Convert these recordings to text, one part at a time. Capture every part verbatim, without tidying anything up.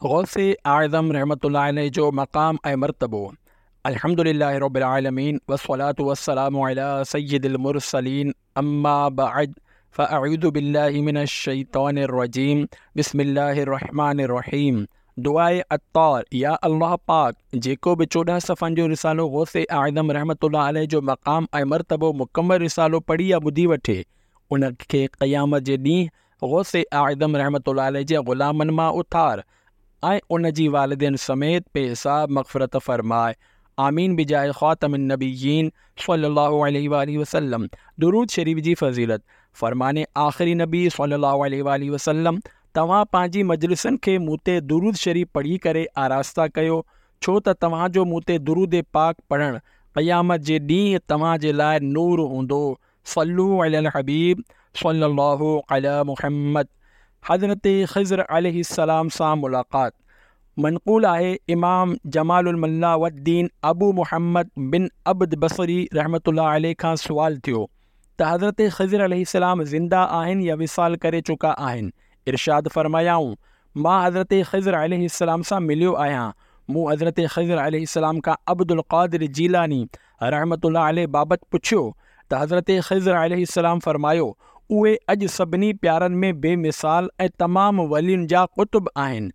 غوث اعظم رحمة الله عليه جو مقام ۽ مرتبو. الحمد لله رب العالمين والصلاة والسلام علي سيد المرسلين اما بعد فاعوذ بالله من الشيطان الرجيم بسم الله الرحمن الرحيم دعاء عطار يا الله پاڪ جيڪو به چوڏهن صفحن جو رسالو غوث اعظم رحمة الله عليه جو مقام ۽ مرتبو مڪمل رسالو پڙهي يا ٻڌي وٺي ان کي قيامت جي ڏينهن غوث اعظم رحمة الله عليه جي غلامن مان اٿار ۽ ان جي والدين سميت بي حساب مغفرت فرماء آمين بجاه خاتم النبيين صلي الله عليه واٰله وسلم درود شريف جي فضيلت فرمان آخري نبي صلي الله عليه واٰله وسلم توهان پنهنجي مجلسن کي مون تي درود شريف پڙهي ڪري آراسته ڪيو ڇو ته توهان جو مون تي درود پاڪ پڙهڻ قيامت جي ڏينهن توهان جي لاء نور هوندو صلو علي الحبيب صلي الله علي محمد حضرت خضر عليه السلام سان ملاقات منقول آهي امام جمال الملا والدين ابو محمد بن عبد بصري رحمة الله عليه کان سوال ٿيو ته حضرت خضر عليه السلام زنده آهن يا وصال ڪري چڪا آهن ارشاد فرمايائون مان حضرت خضر عليه السلام سان مليو آهيان مون حضرت خضر عليه السلام کان عبدالقادر جيلاني رحمة الله عليه بابت پڇيو ته حضرت خضر عليه السلام فرمايو، اهي اڄ سڀني پيارن ۾ بي مثال ۽ تمام ولين جا قطب آهن.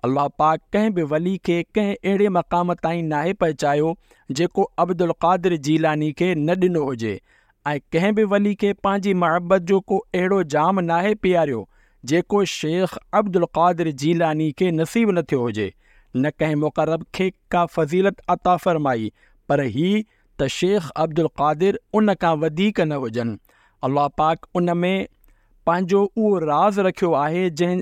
الله پاڪ ڪنهن به ولي کي ڪنهن اهڙي مقام تائين ناهي پهچايو جيڪو عبدالقادر جيلاني کي نه ڏنو هجي ۽ ڪنهن به ولي کي پنهنجي محبت جو ڪو اهڙو جام ناهي پياريو جيڪو شيخ عبدالقادر جيلاني کي نصيب نه ٿيو هجي نه ڪنهن مقرب کي ڪا فضيلت عطا فرمائي پر هي ته شيخ عبدالقادر ان کان وڌيڪ نه هجن. الله پاڪ ان ۾ پنهنجو اهو راز رکيو آهي جنهن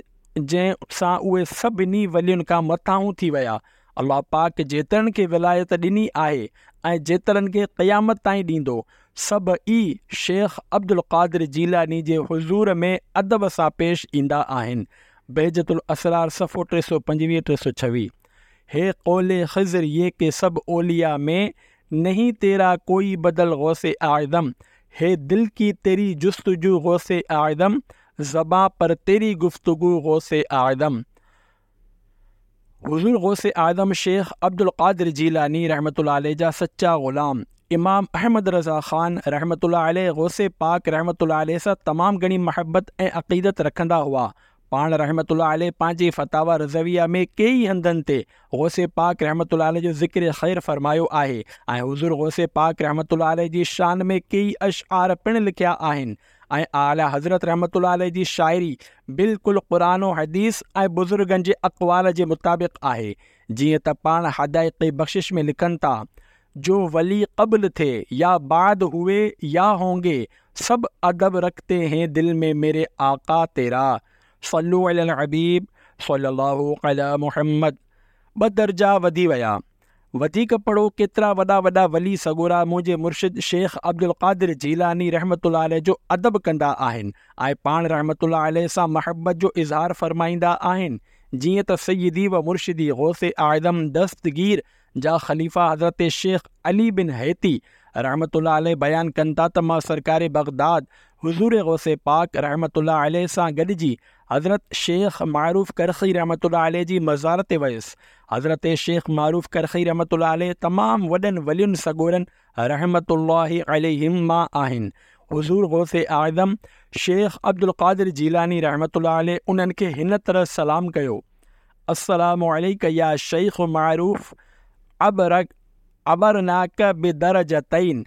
جنهن سان اهي سڀني ولين کان مٿانهون ٿي ويا. الله پاڪ جيترن کي ولايت ڏني آهي ۽ جيترن کي قيامت تائين ڏيندو سڀ ئي شيخ عبدالقادر جيلاني جي حضور ۾ ادب سان پيش ايندا آهن. بهجت الاسرار صفحو ٽي سؤ پنجويهه ٽي سؤ ڇويهه. هي قول خضر يه ڪه سب اولياء ۾ نهين تيرا ڪوئي بدل غوث اعظم هي دل ڪي تيري جستجو غوث اعظم زبان پر تيري گفتگو غوث اعظم حضور غوث اعظم شيخ عبدالقادر جيلاني رحمة الله عليه جا سچا غلام امام احمد رضا خان رحمة الله عليه غوث پاڪ رحمة الله عليه سان تمام گهڻي محبت ۽ عقيدت رکندا هئا پاڻ رحمة الله عليه پنهنجي فتاويٰ رضويه ۾ ڪيئي هنڌن تي غوث پاڪ رحمة الله عليه جو ذڪر خير فرمايو آهي ۽ حضور غوث پاڪ رحمة الله عليه جي شان ۾ ڪيئي اشعار پڻ لکيا آهن ۽ اعليٰ حضرت رحمة الله عليه جي شاعري بلڪل قرآن و حديث ۽ بزرگن جي اقوال جي مطابق آهي جيئن ته پاڻ حدائق بخشش ۾ لکن ٿا جو ولي قبل ٿي يا بعد هوئي يا هونگي سب ادب رکتي هين دل ۾ ميري آقا تيرا صلو علي الحبيب صلي الله علي محمد ٻه درجا وڌي ويا. وڌيڪ پڙهو ڪيترا وڏا وڏا ولي سڳورا منهنجي مرشد شيخ عبدالقادر جيلاني رحمة الله عليه جو ادب ڪندا آهن ۽ پاڻ رحمة الله عليه سان محبت جو اظهار فرمائيندا آهن جيئن ته سيدي و مرشدي غوث اعظم دستگير جا خليفا حضرت شيخ علي بن حيتي رحمة الله عليه بيان ڪن ٿا ته مان سرڪار بغداد حضور غوث پاڪ رحمة الله عليه سان گڏجي حضرت شيخ معروف ڪرخي رحمة الله عليه جي مزار تي ويس. حضرت شيخ معروف ڪرخي رحمة الله عليه تمام وڏن ولين سڳورن رحمة الله عليهم مان آهن. حضور غوث اعظم شيخ عبدالقادر جيلاني رحمة الله عليه انهن کي هن طرح سلام ڪيو، السلام عليک يا شيخ معروف عبرناک بدرجتين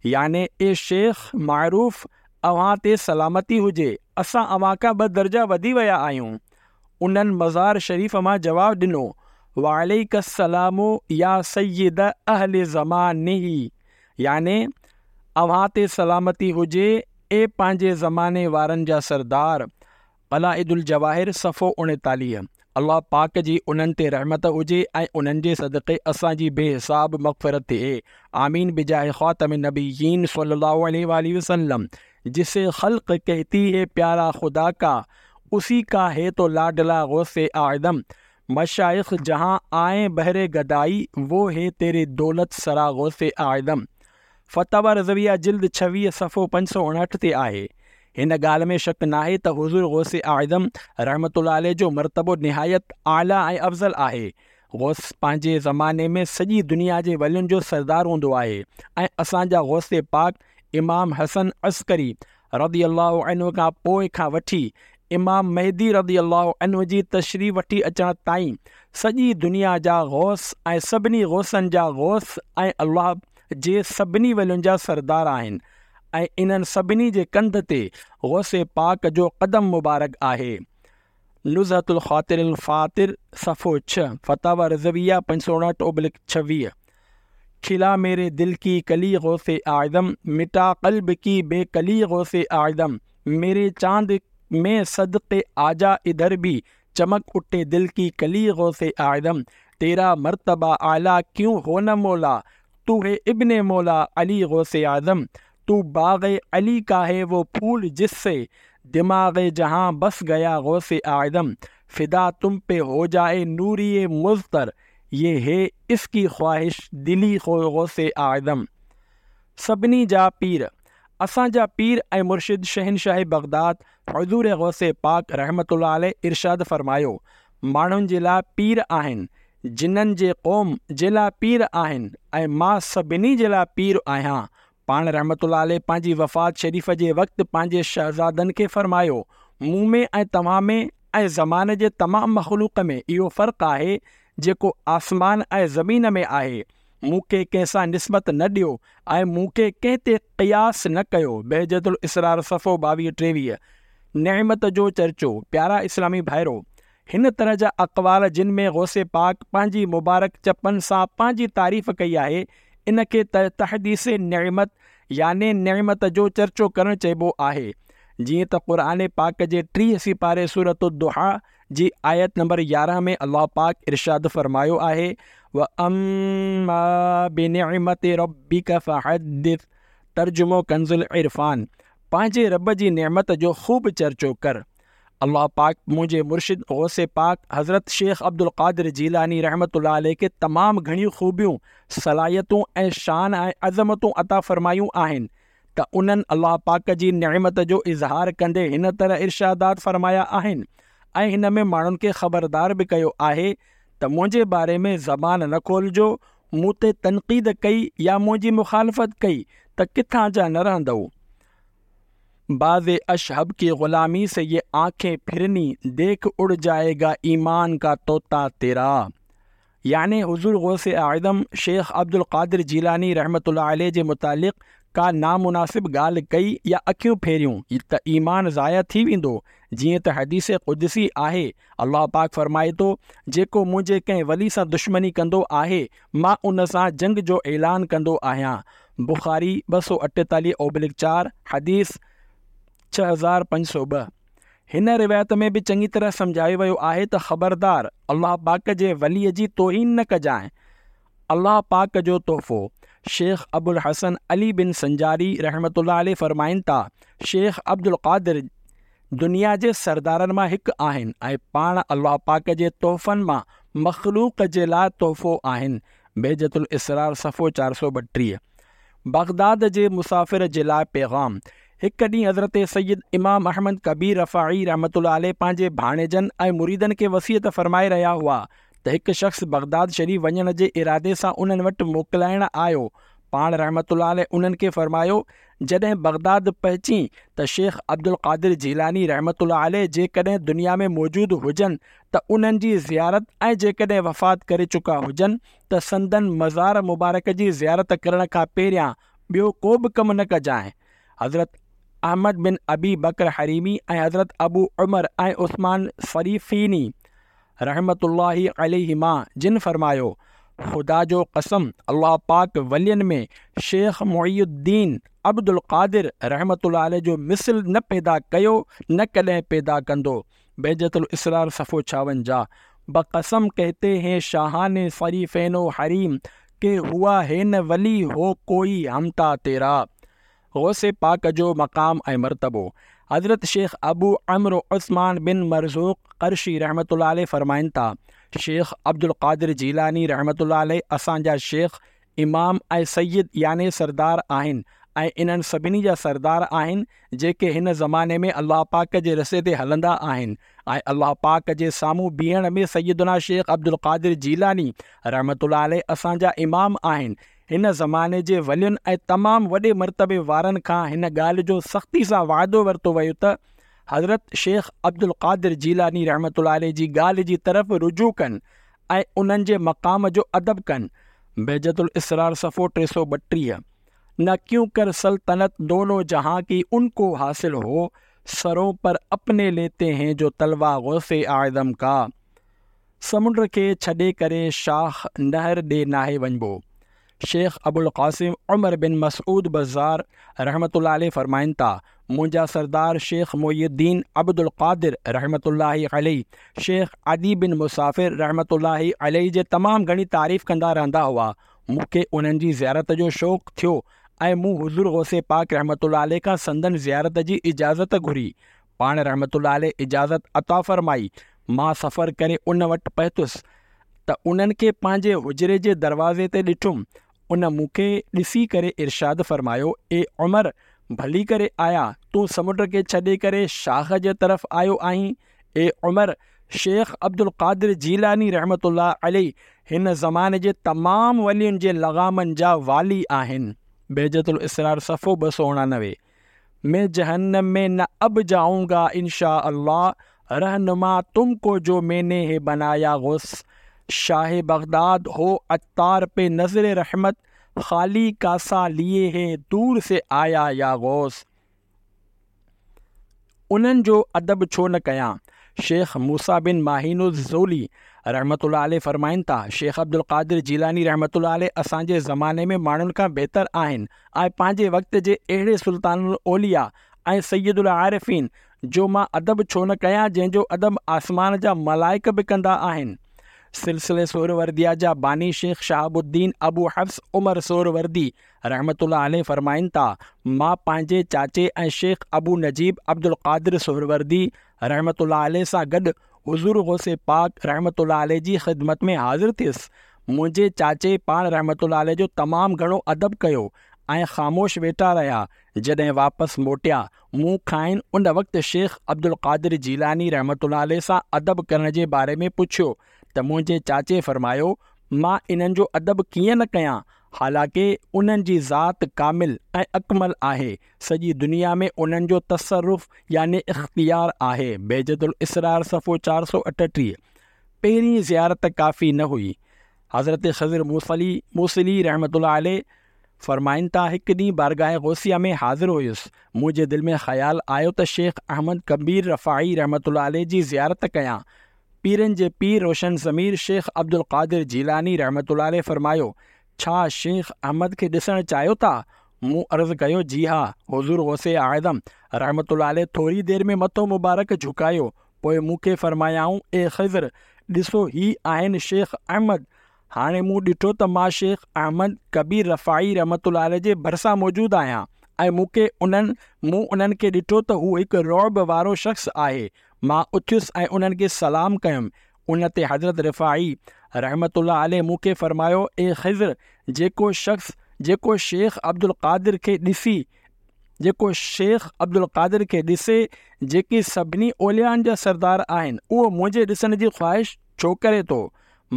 يعني اي شيخ معروف اوهان تي سلامتي هجي اسان اوهان کان ٻه درجا وڌي ويا آهيون. انهن مزار شريف مان جواب ڏنو وعليک السلام يا سيد اهل زمانه يعني اوهان تي سلامتي هجي اي پنهنجي زماني وارن جا سردار. قلائد الجواهر صفحو اڻيتاليهه الله پاڪ جي انهن تي رحمت هجي ۽ انهن جي صدقي اسان جي بي حساب مغفرت ٿئي آمين بجاه خاتم النبيين صلي الله عليه واٰله وسلم جسي خلق ڪهتي هي پيارا خدا ڪا اسي ڪا هي تو لاڊلا غوث اعظم مشائخ جهان آئين بهر گدائي وو هي تيري دولت سرا غوث اعظم فتاويٰ رضويه جلد ڇويهه صفحو پنج سؤ اڻهٺ تي آهي. هن ڳالهه ۾ شڪ ناهي ته حضور غوث اعظم رحمة الله عليه جو مرتبو نهايت اعليٰ ۽ افضل آهي. غوث پنهنجي زماني ۾ سڄي دنيا جي ولين جو سردار هوندو آهي ۽ اسان جا غوث پاڪ امام حسن عسڪري رضي الله عنه کان پوء کان وٺي امام مهدي رضي الله عنه جي تشريف وٺي اچڻ تائين سڄي دنيا جا غوث ۽ سڀني غوثن جا غوث ۽ الله جي سڀني ولين جا سردار آهن ۽ انهن سڀني جي ڪنڌ تي غوث پاڪ جو قدم مبارڪ آهي. نزهة الخاطر الفاطر صفحو ڇهه، فتاويٰ رضويه پنج سؤ اڻهٺ اوبلڪ ڇويهه. کلا ميري دل ڪي ڪلي غوث اعظم، مٽا قلب ڪي بي ڪلي غوث اعظم، ميري چاند ۾ صدقي آجا ادھر ڀي، چمڪ اٺي دل ڪي ڪلي غوث اعظم، تيرا مرتبه اعليٰ ڪيون هو نه مولا، تو هي ابن مولا علي غوث اعظم، تو باغ علي ڪا هي وو ڦول جس سي، دماغ جهان بس گيا غوث اعظم، فدا تم پي هو جائي نوري مضطر، يه هي اس ڪي خواهش دلي غوث اعظم. سڀني جا پير، اسان جا پير ۽ مرشد شهنشاهه بغداد حضور غوث پاڪ رحمة الله عليه ارشاد فرمايو، ماڻهن جي لاء پير آهن، جنن جي قوم جي لاء پير آهن ۽ مان سڀني جي لاء پير آهيان. پاڻ رحمة الله عليه پنهنجي وفات شريف جي وقت پنهنجي شهزادن کي فرمايو، مون ۾ ۽ توهان ۾ ۽ زماني جي تمام مخلوق ۾ اهو فرق آهي جيڪو آسمان ۽ زمين ۾ آهي، مون کي ڪنهن سان نسبت نه ڏيو ۽ مون کي ڪنهن تي قياس نه ڪيو، بهجت الاسرار صفحو ٻاويهه ٽيويهه. نعمت جو چرچو، پيارا اسلامي ڀائرو! هن طرح جا اقوال جن ۾ غوث پاڪ پنهنجي مبارڪ چپن سان پنهنجي تعريف ڪئي آهي، ان کي تحديث نعمت يعني نعمت جو چرچو ڪرڻ چئبو آهي. جيئن ته قرآن پاڪ جي ٽيهه سيپاري سورة الضحيٰ جي آيت نمبر يارهن ۾ الله پاڪ ارشاد فرمايو آهي، وَأَمَّا بِنِعْمَةِ رَبِّكَ فَحَدِّثْ ترجمو ڪنز العرفان، پنهنجي رب جي نعمت جو خوب چرچو ڪر. الله پاڪ منهنجي مرشد غوث پاڪ حضرت شيخ عبدالقادر جيلاني رحمة الله عليه کي تمام گهڻيون خوبيون، صلاحيتون ۽ شان ۽ عظمتون عطا فرمايون آهن ته انهن الله پاڪ جي نعمت جو اظهار ڪندي هن طرح ارشادات فرمايا آهن ۽ هن ۾ ماڻهن کي خبردار به ڪيو آهي ته منهنجي باري ۾ زبان نه کولجو، مون تي تنقيد ڪئي يا منهنجي مخالفت ڪئي ته ڪٿان جا نه رهندؤ. باز اشهب ڪي غلامي سي يه آنکين ڦرني، ديک اڙ جائي گا ايمان ڪا طوطا تيرا. يعني حضور غوث اعظم شيخ عبدالقادر جيلاني رحمة الله عليه جي متعلق ڪا نامناسب ڳالهه ڪئي يا اکيون ڦيريون ته ايمان ضايع ٿي ويندو، جيئن ته حديث قدسي آهي، الله پاڪ فرمائي ٿو، جيڪو منهنجي ڪنهن ولي سان دشمني ڪندو آهي، مان ان سان جنگ جو اعلان ڪندو آهيان. بخاري ٻه سؤ اٺيتاليهه اوبلڪ چار، حديث ڇهه هزار پنج سؤ ٻه. هن روايت ۾ به چڱي طرح سمجهايو ويو آهي ته خبردار! الله پاڪ جي ولي جي توهين نه ڪجانء. الله پاڪ جو تحفو، شيخ ابوالحسن علي بن سنجاري رحمة الله عليه فرمائن ٿا، شيخ عبدالقادر دنيا جي سردارن مان هڪ آهن ۽ پاڻ الله پاڪ جي تحفن مان مخلوق جي لاء تحفو آهن. بهجت الاسرار صفحو چار سؤ ٻٽيهه. بغداد جي مسافر جي لاء پيغام، هڪ ڏينهن حضرت سيد امام احمد ڪبير رفاعي رحمة الله عليه پنهنجي ڀاڻيجن ۽ مريدن کي وصيت فرمائي رهيا هئا ته هڪ شخص بغداد شريف وڃڻ جي ارادي سان انهن وٽ موڪلائڻ آيو. پاڻ رحمة الله عليه انهن کي فرمايو، جڏهن بغداد پهچين ته شيخ عبدالقادر جيلاني رحمة الله عليه جيڪڏهن دنيا ۾ موجود هجن ته انهن جي زيارت ۽ جيڪڏهن وفات ڪري چڪا هجن ته سندن مزار مبارڪ جي زيارت ڪرڻ کان پهريان ٻيو ڪو به ڪم نه ڪجانء. حضرت احمد بن ابي بڪر حريمي ۽ حضرت ابو عمر ۽ عثمان صريفيني رحمة الله عليهما جن فرمايو، خدا جو قسم الله پاڪ ولين ۾ شيخ معي الدين عبدالقادر رحمة الله عليه جو مثل نه پيدا ڪيو نه ڪڏهن پيدا ڪندو. بهجت الاسرار صفحو ڇاونجاهه. بقسم ڪهتي هين شاهان صريفين و حريم ڪه هوا هي نه ولي هو ڪوئي همتا تيرا. غوث پاڪ جو مقام ۽ مرتبو، حضرت شيخ ابو عمرو عثمان بن مرزوق قرشي رحمة الله عليه فرمائن ٿا، شيخ عبدالقادر جيلاني رحمة الله عليه اسان جا شيخ، امام ۽ سيد يعني سردار آهن ۽ انهن سڀني جا سردار آهن جيڪي هن زماني ۾ الله پاڪ جي رستي تي هلندا آهن ۽ الله پاڪ جي سامهون بيهڻ ۾ سيدنا شيخ عبدالقادر جيلاني رحمة الله عليه اسان جا امام آهن. هن زماني جي ولين ۽ تمام وڏي مرتبي وارن کان هن ڳالهه جو سختي سان وعدو ورتو ويو ته حضرت شيخ عبدالقادر جيلاني رحمة الله عليه جي ڳالهه جي طرف رجوع ڪن ۽ انهن جي مقام جو ادب ڪن. بهجت الاسرار صفحو ٽي سؤ ٻٽيهه. نه ڪيون ڪر سلطنت دونو جهان ڪي ان ڪو حاصل هو، سرون پر اپني ليتي هين جو تلوه غوث اعظم ڪا. سمنڊ کي ڇڏي ڪري شاخ نهر ڏي ناهي وڃبو. شيخ ابوالقاسم عمر بن مسعود بزار رحمة الله عليه فرمائن ٿا، منهنجا سردار شيخ محي الدين عبدالقادر رحمة الله عليه شيخ عدي بن مسافر رحمة الله عليه جي تمام گهڻي تعريف ڪندا رهندا هئا. مون کي انهن جي زيارت جو شوق ٿيو ۽ مون حضور غوث پاڪ رحمة الله عليه کان سندن زيارت جي اجازت گهري. پاڻ رحمة الله عليه اجازت عطا فرمائي. مان سفر ڪري ان وٽ پهتس ته انهن کي پنهنجي حجري جي دروازي تي ڏٺم. ان مون کي ڏسي ڪري ارشاد فرمايو، اي عمر! ڀلي ڪري آيا، تون سمنڊ کي ڇڏي ڪري شاخ جي طرف آيو آهين. اي عمر! شيخ عبدالقادر جيلاني رحمة الله عليه هن زماني جي تمام ولين جي لغامن جا والي آهن. بهجت الاسرار صفحو ٻه سؤ اڻانوي. مين جهنم ۾ نه اب جائون گا انشاء الله رهنما تم ڪو جو مين ني هي بنايا غوث شاهه بغداد هو عطار پي نظر رحمت خالي ڪاسا ليي هي دور سي آيا يا غوث. انهن جو ادب ڇو نه ڪيان؟ شيخ موسيٰ بن ماهين الزولي رحمة الله عليه فرمائن ٿا، شيخ عبدالقادر جيلاني رحمة الله عليه اسان جي زماني ۾ ماڻهن کان بهتر آهن ۽ پنهنجي وقت جي اهڙي سلطان الاولياء ۽ سيد العارفين جو مان ادب ڇو نه ڪيان جنهن جو ادب آسمان جا ملائڪ به ڪندا آهن. سلسلي سهرورديه جا باني شيخ شهاب الدين ابو حفص عمر سهروردي رحمة الله عليه فرمائن ٿا، مان پنهنجي چاچي ۽ شيخ ابو نجيب عبدالقادر سهروردي رحمة الله عليه سان گڏ حضور غوث پاڪ رحمة الله عليه جي خدمت ۾ حاضر ٿيس. منهنجي چاچي پاڻ رحمة الله عليه جو تمام گهڻو ادب ڪيو ۽ خاموش ويٺا رهيا. جڏهن واپس موٽيا، مون کانئن ان وقت شيخ عبدالقادر جيلاني رحمة الله عليه سان ادب ڪرڻ جي باري ۾ پڇيو ته منهنجي چاچي فرمايو، مان انهن جو ادب ڪيئن نه ڪيان، حالانڪه انهن جي ذات ڪامل ۽ اڪمل آهي، سڄي دنيا ۾ انهن جو تصرف يعني اختيار آهي، بهجت الاسرار صفحو چار سؤ اٺٽيهه. پهرين زيارت ڪافي نه هئي. حضرت خضر موصلي موصلي رحمة الله عليه فرمائن ٿا، هڪ ڏينهن بارگاهه غوثيه ۾ حاضر هيس، منهنجي دل ۾ خيال آيو ته شيخ احمد ڪبير رفاعي رحمة الله عليه جي زيارت ڪيان، پيرن جي پير روشن ضمير شيخ عبدالقادر جيلاني رحمة الله عليه فرمايو، ڇا شيخ احمد کي ڏسڻ چاهيو ٿا؟ مون عرض ڪيو، جي ها. حضور غوث اعظم رحمة الله عليه ٿوري دير ۾ مٿو مبارڪ جهڪايو، پوء مون کي فرمايائون، اي خضر! ڏسو هي آهن شيخ احمد. هاڻي مون ڏٺو ته مان شيخ احمد ڪبير رفاعي رحمة الله عليه جي ڀرسان موجود آهيان ۽ مون کي انهن مون انهن کي ڏٺو ته هو هڪ رعب وارو شخص آهي. مان اٿيس ۽ انهن کي سلام ڪيم. ان تي حضرت رفاعي رحمة الله عليه مون کي فرمايو، اي خضر! جيڪو شخص جيڪو شيخ عبدالقادر کي ڏسي جيڪو شيخ عبدالقادر کي ڏسي جيڪي سڀني اوليائن جا سردار آهن، اهو منهنجي ڏسڻ جي خواهش ڇو ڪري ٿو؟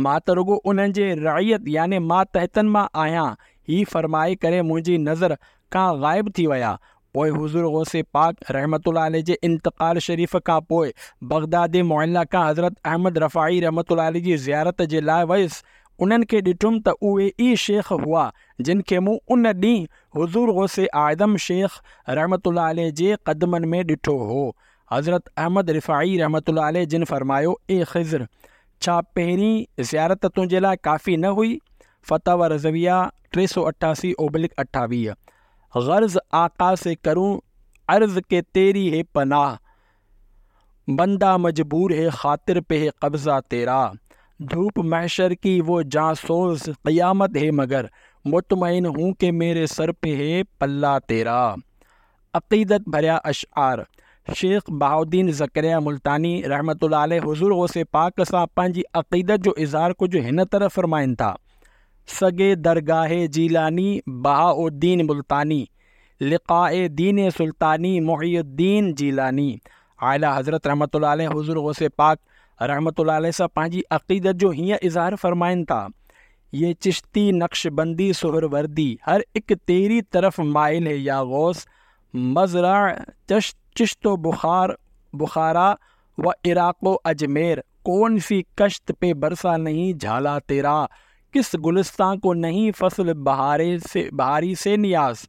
مان ته رڳو انهن جي رعيت يعني ماتحتن مان آهيان. هي فرمائي ڪري منهنجي نظر کان غائب ٿي ويا. پوء حضور غوث پاڪ رحمة الله عليه جي انتقال شريف کان پوء بغداد معليٰ کان حضرت احمد رفاعي رحمة الله عليه جي زيارت جي لاء ويس، انهن کي ڏٺم ته اهي ئي شيخ هئا جن کي مون ان ڏينهن حضور غوث اعظم شيخ رحمة الله عليه جي قدمن ۾ ڏٺو هو. حضرت احمد رفاعي رحمة الله عليه جن فرمايو، اي خضر! ڇا پهرين زيارت تنهنجي لاء ڪافي نه هئي؟ فتاويٰ رضويه ٽي سؤ اٺاسي اوبلڪ اٺاويهه. غرض آقا سي ڪرون عرض ڪي تيري هي پناهه بنده مجبور هي خاطر پي هي قبضه تيرا ڌوپ محشر ڪي وو جان سوز قيامت هي مگر مطمئن هون ڪي ميري سر پي هي پلا تيرا عقيدت ڀريا اشعار شيخ بهاؤالدين زڪريا ملتاني رحمة الله عليه حضور غوث پاڪ سان پنهنجي عقيدت جو اظهار ڪجهه هن طرح فرمائن ٿا، سگي درگاهه جيلاني بهاؤالدين ملتاني، لقاء دين سلطاني محي الدين جيلاني. اعليٰ حضرت رحمة الله عليه حضور غوث پاڪ رحمة الله عليه سان پنهنجي عقيدت جو هيئن اظهار فرمائن ٿا، ये चिश्ती नक्शबंदी सुहरवर्दी हर एक तेरी तरफ माइल है या गौस, मज़रा चश चिश्तो बुखार बुखारा व इराक़ अजमेर, कौन सी कश्त पे बरसा नहीं झाला तेरा, किस गुलिस्तान को नहीं फसल बहारे से बहारी से नियाज,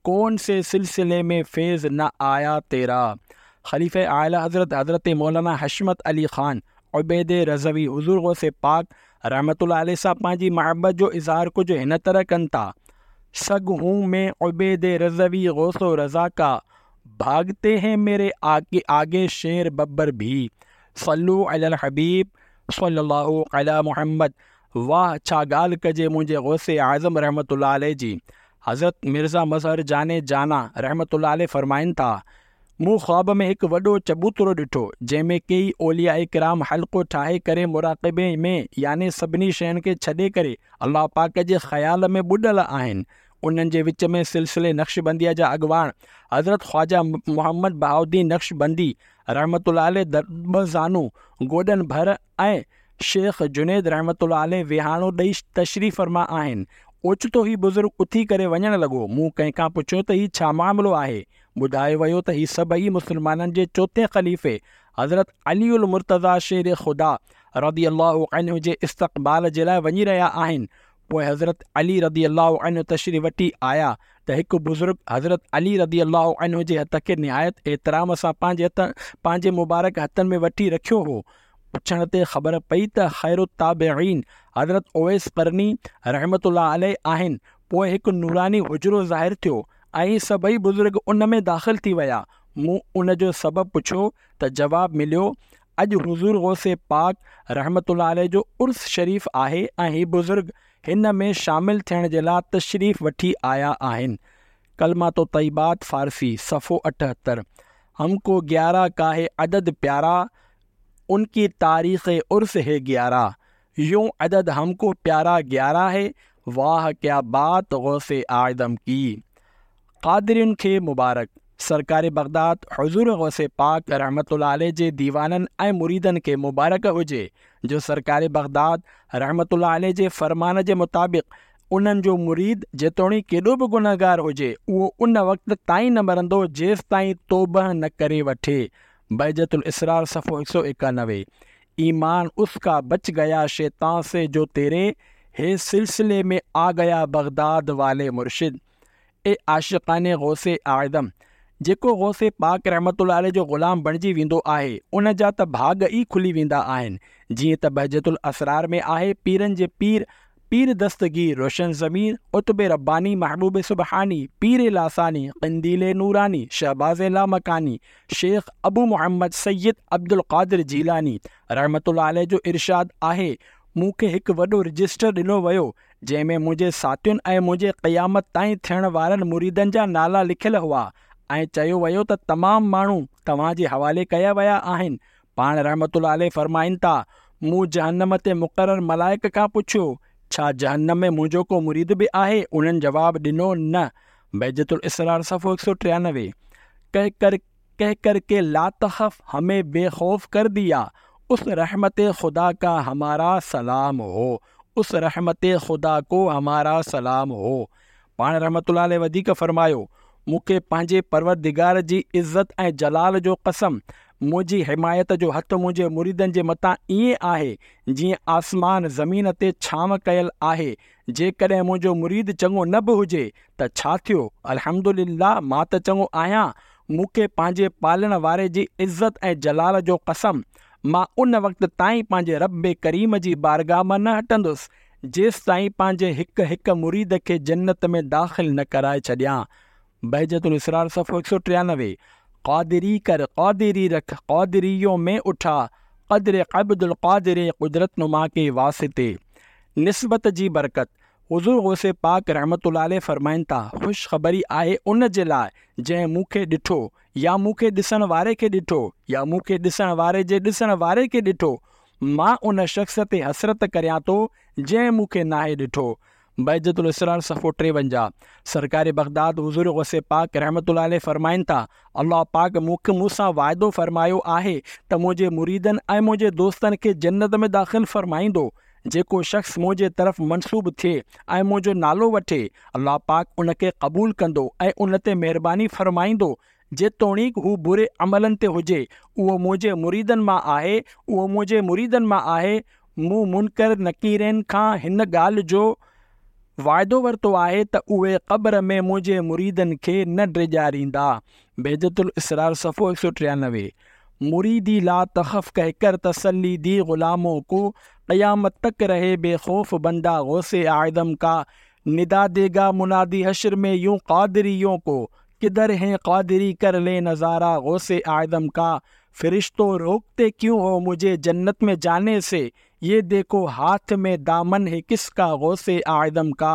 कौन से सिलसिले में फैज़ न आया तेरा। खलीफ़े आला हज़रत हज़रत मौलाना हशमत अली ख़ान उबैद रज़वी हुज़ूर गौस पाक रहमतुल्लाह अलैह सां पंहिंजी मोहब्बत जो इज़हार कुझु हिन तरह कनि था, सग हूँ मैं उबैद रज़वी गौसो रज़ा का, भागते हैं मेरे आगे आगे शेर बब्बर भी, सल्लु अलल हबीब सल्लल्लाहु अला मुहम्मद। वाह छा ॻाल्हि कजे मुंहिंजे गौसे आज़म रहमतुल्लाह अलैह जी। हज़रत मिर्ज़ा मज़हर जाने जाना रहमतुल्लाह अलैह फ़रमाइनि था, मूं ख़्वाब में हिकु वॾो चबूतरो ॾिठो जंहिं में केई औलिया किराम हल्को ठाहे करे मुराक़िबे में यानी सभिनी शयुनि खे छॾे करे अलाह पाक जे ख़्याल में ॿुॾल आहिनि। उन्हनि जे विच में सिलसिले नक्शबंदिया जा अॻवान हज़रत ख्वाजा मोहम्मद बहाउद्दीन नक्शबंदी रहमतुल्लाह अलैह दरबज़ानू गोॾनि भर ऐं शेख जुनैद रहमतुल्लाह अलैह विहाणो ॾेई तशरीफ़ फरमा आहिनि। ओचितो ही बुज़ुर्ग उथी करे वञणु लॻो। मूं कंहिंखां पुछियो त हीउ छा मामिलो आहे? ॿुधायो वियो त हीउ सभई मुस्लमाननि जे चोथे ख़लीफ़े हज़रत अली उल मुर्तज़ा शेर ख़ुदा रदी अल्लाह अन्हु जे इस्तक़बाल जे लाइ वञी रहिया आहिनि। पोइ हज़रत अली रदी अल्लाह अन्हु तशरीफ़ वठी आया त हिकु बुज़ुर्ग हज़रत अली रदी अल्लाह अन्हु जे हथ खे निहायत एहतराम सां पंहिंजे हथ पंहिंजे मुबारक हथनि में वठी रखियो हो। पुछण ते ख़बर पई त ख़ैर ताबईन हज़रत ओवैस करनी रहमतुल्लाह अलैह आहिनि। पोइ हिकु नूरानी हुजरो ज़ाहिर थियो ऐं सभई बुज़ुर्ग उन में दाख़िल थी विया। मूं उन जो सबबु पुछियो त जवाबु मिलियो, अॼु हुज़ूर गौसे पाक रहमतुल्लाह अलैह जो उर्स शरीफ़ आहे ऐं हीउ बुज़ुर्ग हिन में शामिल थियण जे लाइ तशरीफ़ वठी आया आहिनि। कलमा तो तय्यबात फ़ारसी सफ़ो अठहत्तर। हमको ग्यारह का है अदद प्यारा, उनकी तारीख़ उर्स है ग्यारह, यूँ अदद हमको प्यारा ग्यारह है, वाह क्या बात गौसे आदम की। क़ादिरिन खे मुबारक। सरकार बग़दाद हुज़ूर गौसे पाक रहमतुल्लाह अलैह जे दीवाननि ऐं मुरीदनि खे मुबारक हुजे जो सरकार बग़दाद रहमतुल्लाह अलैह जे फरमान जे मुताबिक़ उन्हनि जो मुरीद जेतोणीक केॾो बि गुनहगार हुजे उहो उन वक़्त ताईं न मरंदो जेसि ताईं तौबह न करे वठे। बहजतुल इसरार सफ़ो हिकु सौ एकानवे। ईमान उसका बच गया शैतान से जो तेरे हे सिलसिले में आ गया बग़दाद वाले मुर्शिद। ए आशिक़ान गौसे आदम, जेको गौसे पाक रहमतुल्लाह अलैह जो ग़ुलाम बणिजी वेंदो आहे उन जा त भाॻ ई खुली वेंदा आहिनि। जीअं त बहजतुल असरार में आहे, पीरनि जे पीर पीर दस्तगीर रोशन ज़मीर क़ुतुब रब्बानी महबूब सुबहानी पीर लासानी क़ंदील नूरानी शहबाज़ लामकानी शेख अबू मोहम्मद सैयद अब्दुल क़ादिर जीलानी रहमतुल्लाह अलैह जो इरशाद आहे, मूंखे हिकु वॾो रजिस्टर ॾिनो वियो जंहिं में मुंहिंजे साथियुनि ऐं मुंहिंजे क़यामत ताईं थियण वारनि मुरीदनि जा नाला लिखियल हुआ ऐं चयो वियो त तमामु माण्हू तव्हांजे हवाले कया विया आहिनि। पाण रहमतुल्लाह अलैह फ़रमाइनि था, मूं जहन्नम ते मुक़ररु मलाइक खां पुछियो, छा जहन्नम में मुंहिंजो को मुरीद बि आहे? उन्हनि जवाबु ॾिनो, न। बहजतुल इसरार सफ़ो हिकु सौ टियानवे। कह कर कह कर के ला तख़फ़ हमें बेखौफ कर दिया, उस रहमत खुदा का हमारा सलाम हो, उस रहमत खुदा को हमारा सलाम हो। पाण रहमतुल्लाह अलैह वधीक फ़रमायो, मूंखे पंहिंजे परवरदिगार जी इज़त ऐं जलाल जो कसम, मुंहिंजी हिमायत जो हथु मुंहिंजे मुरीदनि जे मथां ईअं आहे जीअं आसमान ज़मीन ते छांव कयल आहे। जेकॾहिं मुंहिंजो मुरीद चङो न बि हुजे त छा थियो, अल्हम्दुलिल्लाह मां त चङो आहियां। मूंखे पंहिंजे पालण वारे जी इज़त ऐं जलाल जो कसम, मां उन वक़्त ताईं पंहिंजे रब करीम जी बारगाह मां न हटंदुसि जेसि ताईं पंहिंजे हिकु हिकु मुरीद खे जन्नत में दाख़िल न कराए छॾियां। बहजतुल इसरार सफ़ो हिकु सौ टियानवे। क़ादिरी कर क़ादिरी रख क़ादिरियों में उठा, क़द्र अब्दुल क़ादिर क़ुदरत नुमा के वास्ते। निस्बत जी बरकत। हुज़ूर गौसे पाक रहमतुल्लाह अलैह फ़रमाइनि था, ख़ुशख़बरी आहे उन जे लाइ जंहिं मूंखे ॾिठो या मूंखे ॾिसण वारे खे ॾिठो या मूंखे ॾिसण वारे जे ॾिसण वारे खे ॾिठो। मां उन शख़्स ते हसरत करियां थो जंहिं मूंखे नाहे ॾिठो। بهجت الاسرار صفحو ٽيونجاهه. سرڪار بغداد حضور غوث پاڪ رحمة الله عليه فرمائن ٿا، الله پاڪ مون کي مون سان واعدو فرمايو آهي ته منهنجي مريدن ۽ منهنجي دوستن کي جنت ۾ داخل فرمائيندو. جيڪو شخص منهنجي طرف منسوب ٿئي ۽ منهنجو نالو وٺي، الله پاڪ ان کي قبول ڪندو ۽ ان تي مهرباني فرمائيندو، جيتوڻيڪ هو بري عملن تي هجي، اهو منهنجي مريدن مان آهي، اهو منهنجي مريدن مان آهي. مون منڪر نڪيرين کان هن ڳالهه جو واعدو ورتو آهي ته اهي قبر ۾ منهنجي مريدن کي نه ڊيڄاريندا. بهجت الاسرار صفحو هڪ سؤ ٽيانوي. مريدي لا تخف ڪهه ڪر تسلي the غلامون ڪو، قيامت تڪ رهي بي خوف بنده غوث اعظم ڪا، ندا ديگا منادي حشر ۾ يون قادريون ڪو، ڪڌر هين قادري ڪر لي نظارا غوث اعظم ڪا، فرشتو روڪتي ڪيون هو مجهي جنت ۾ جاني سي، يه ديکو هاٿ ۾ دامن هي ڪس ڪا غوث اعظم ڪا،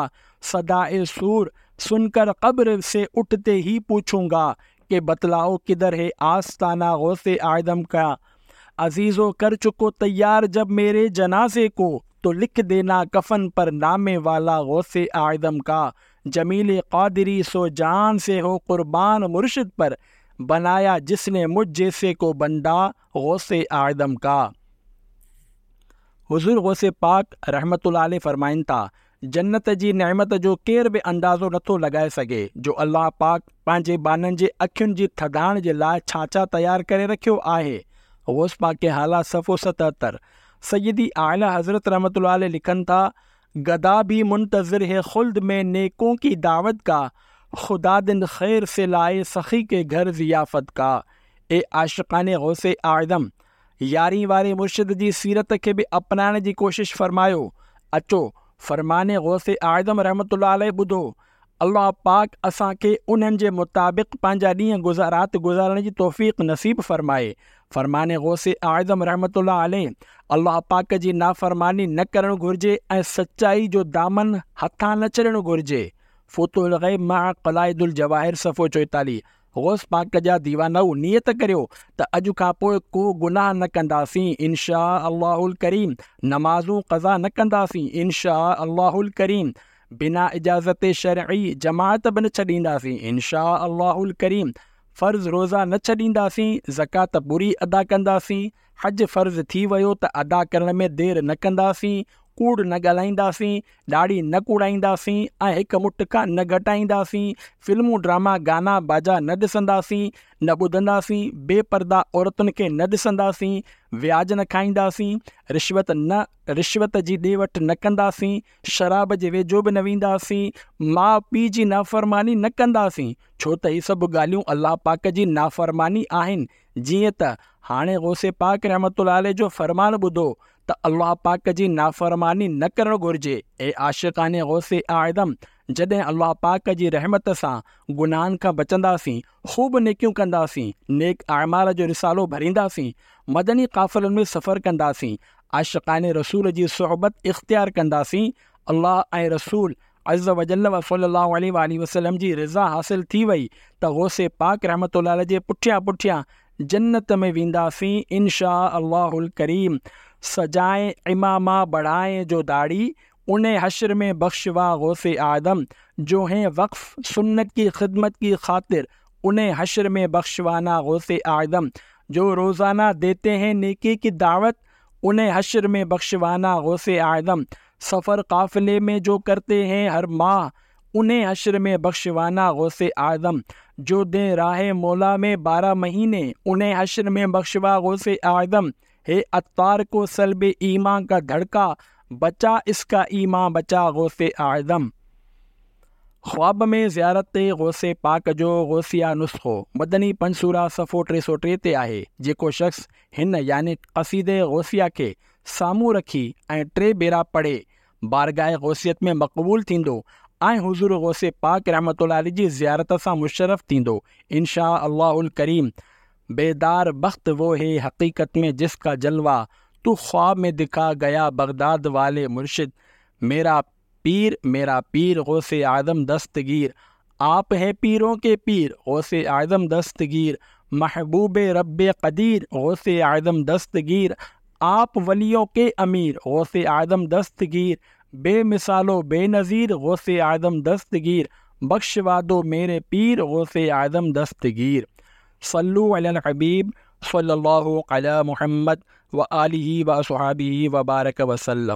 صداء صور سن ڪر قبر سي اٺتي هي پوڇون گا، ڪه بتلائو ڪڌر هي آستانه غوث اعظم ڪا، عزيزو ڪر چڪو تيار جب ميري جنازي ڪو، تو لک دينا ڪفن پر نامي والا غوث اعظم ڪا، جميل قادري سو جان سي هو قربان مرشد پر، بنايا جس ني مجهه جيسي ڪو بنده غوث اعظم ڪا. حضور غوث پاڪ رحمة الله عليه فرمائن ٿا، جنت جي نعمت جو ڪير به اندازو نٿو لڳائي سگهي جو الله پاڪ پنهنجي ٻانهن جي اکين جي ٿڌاڻ جي لاء ڇا ڇا تيار ڪري رکيو آهي. غوث پاڪ هالا صفحو ستهتر. سيدي اعليٰ حضرت رحمة الله عليه لکن ٿا، گدا ڀي منتظر هي خلد ۾ نيڪون ڪي دعوت ڪا، خدا دن خير سي لائي سخي ڪي گهر ضيافت ڪا. اي عاشقان غوث اعظم! يارهين واري مرشد جي سيرت کي به اپنائڻ جي ڪوشش فرمايو. اچو! فرمان غوث اعظم رحمة الله عليه ٻڌو. الله پاڪ اسان کي انهن جي مطابق پنهنجا ڏينهن گذارات گذارڻ جي توفيق نصيب فرمائي. فرمان غوث اعظم رحمة الله عليه، الله پاڪ جي نافرماني نه ڪرڻ گهرجي ۽ سچائي جو دامن هٿان نه ڇڏڻ گهرجي. فتوح الغيب مع قلائد الجواهر صفحو چوئيتاليهه. غوث پاڪ جا ديوانؤ نيت ڪريو ته اڄ کان پوء ڪو گناهه نه ڪنداسين ان شاء الله الڪريم، نمازون قضا نه ڪنداسين ان شاء الله الڪريم، بنا اجازت شرعي جماعت به نه ڇڏينداسين ان شاء الله الڪريم، فرض روزا نه ڇڏينداسين، زڪوات پوري ادا ڪنداسين، حج فرض ٿي ويو ته ادا ڪرڻ ۾ دير نه ڪنداسين، ڪوڙ نه ڳالهائينداسين، ڏاڙهي نه ڪوڙائينداسين ۽ هڪ مٺ کان نه گهٽائينداسين، فلمون ڊراما گانا باجا نه ڏسنداسين، نه ٻڌنداسين، بي پرده عورتن کي نه ڏسنداسين، وياج نه کائينداسين، رشوت نه رشوت جي ڏي وٺ نه ڪنداسين، شراب جي ويجهو به نه وينداسين، ماء پيء جي نافرماني نه ڪنداسين، ڇو ته هي سڀ ڳالهيون الله پاڪ جي نافرماني آهن، جيئن ته هاڻي غوث پاڪ رحمة الله عليه جو فرمان ٻڌو ته الله پاڪ جي نافرماني نه ڪرڻ گهرجي. اي عاشقان غوث اعظم! جڏهن الله پاڪ جي رحمت سان گناهن کان بچنداسين، خوب نيڪيون ڪنداسين، نيڪ اعمال جو رسالو ڀرينداسين، مدني قافلن ۾ سفر ڪنداسين، عاشقان رسول جي صحبت اختيار ڪنداسين، الله ۽ رسول عزّ وجلّ وصلّي اللّٰه عليه واٰله وسلّم جي رضا حاصل ٿي وئي ته غوث پاڪ رحمة الله عليه جي پٺيان پٺيان جنت ۾ وينداسين ان شاء الله الڪريم سجائين عمامه بڙهائين جو داڙهي انهي حشر ۾ بخشوا غوث اعظم جو هين وقف سنت ڪي خدمت ڪي خاطر انهي حشر ۾ بخشوانا غوث اعظم جو روزانه ديتي هين نيڪي ڪي دعوت انهي حشر ۾ بخشوانا غوث اعظم سفر قافلي ۾ جو ڪرتي هين هر ماه انهي حشر ۾ بخشوانا غوث اعظم جو دين راهه مولا ۾ بارهه مهيني انهي حشر ۾ بخشوا غوث اعظم هي عطار ڪو سلب ايمان ڪا ڌڙڪا بچا اس ڪا ايمان بچا غوث اعظم. خواب ۾ زيارت غوث پاڪ جو غوثيه نسخو مدني پنج سورة صفحو ٽي سؤ ٽي تي آهي جيڪو شخص هن يعني قصيده غوثيه کي سامهون رکي ۽ ٽي ڀيرا پڙهي بارگاهه غوثيت ۾ مقبول ٿيندو ۽ حضور غوث پاڪ رحمة الله عليه جي زيارت سان مشرف ٿيندو ان شاء الله الڪريم بيدار بخت وو هي حقيقت ۾ جس ڪا جلوه تو خواب ۾ دکا گيا بغداد والي مرشد ميرا پير ميرا پير غوث اعظم دستگير آپ هين پيرون ڪي پير غوث اعظم دستگير محبوب رب قدير غوث اعظم دستگير آپ وليون ڪي امير غوث اعظم دستگير بي مثال و بي نظير غوث اعظم دستگير، بخشوا دو ميري پير غوث اعظم دستگير. صلوا علي الحبيب صلي الله علي محمد وآله واصحابه وبارك وسلم.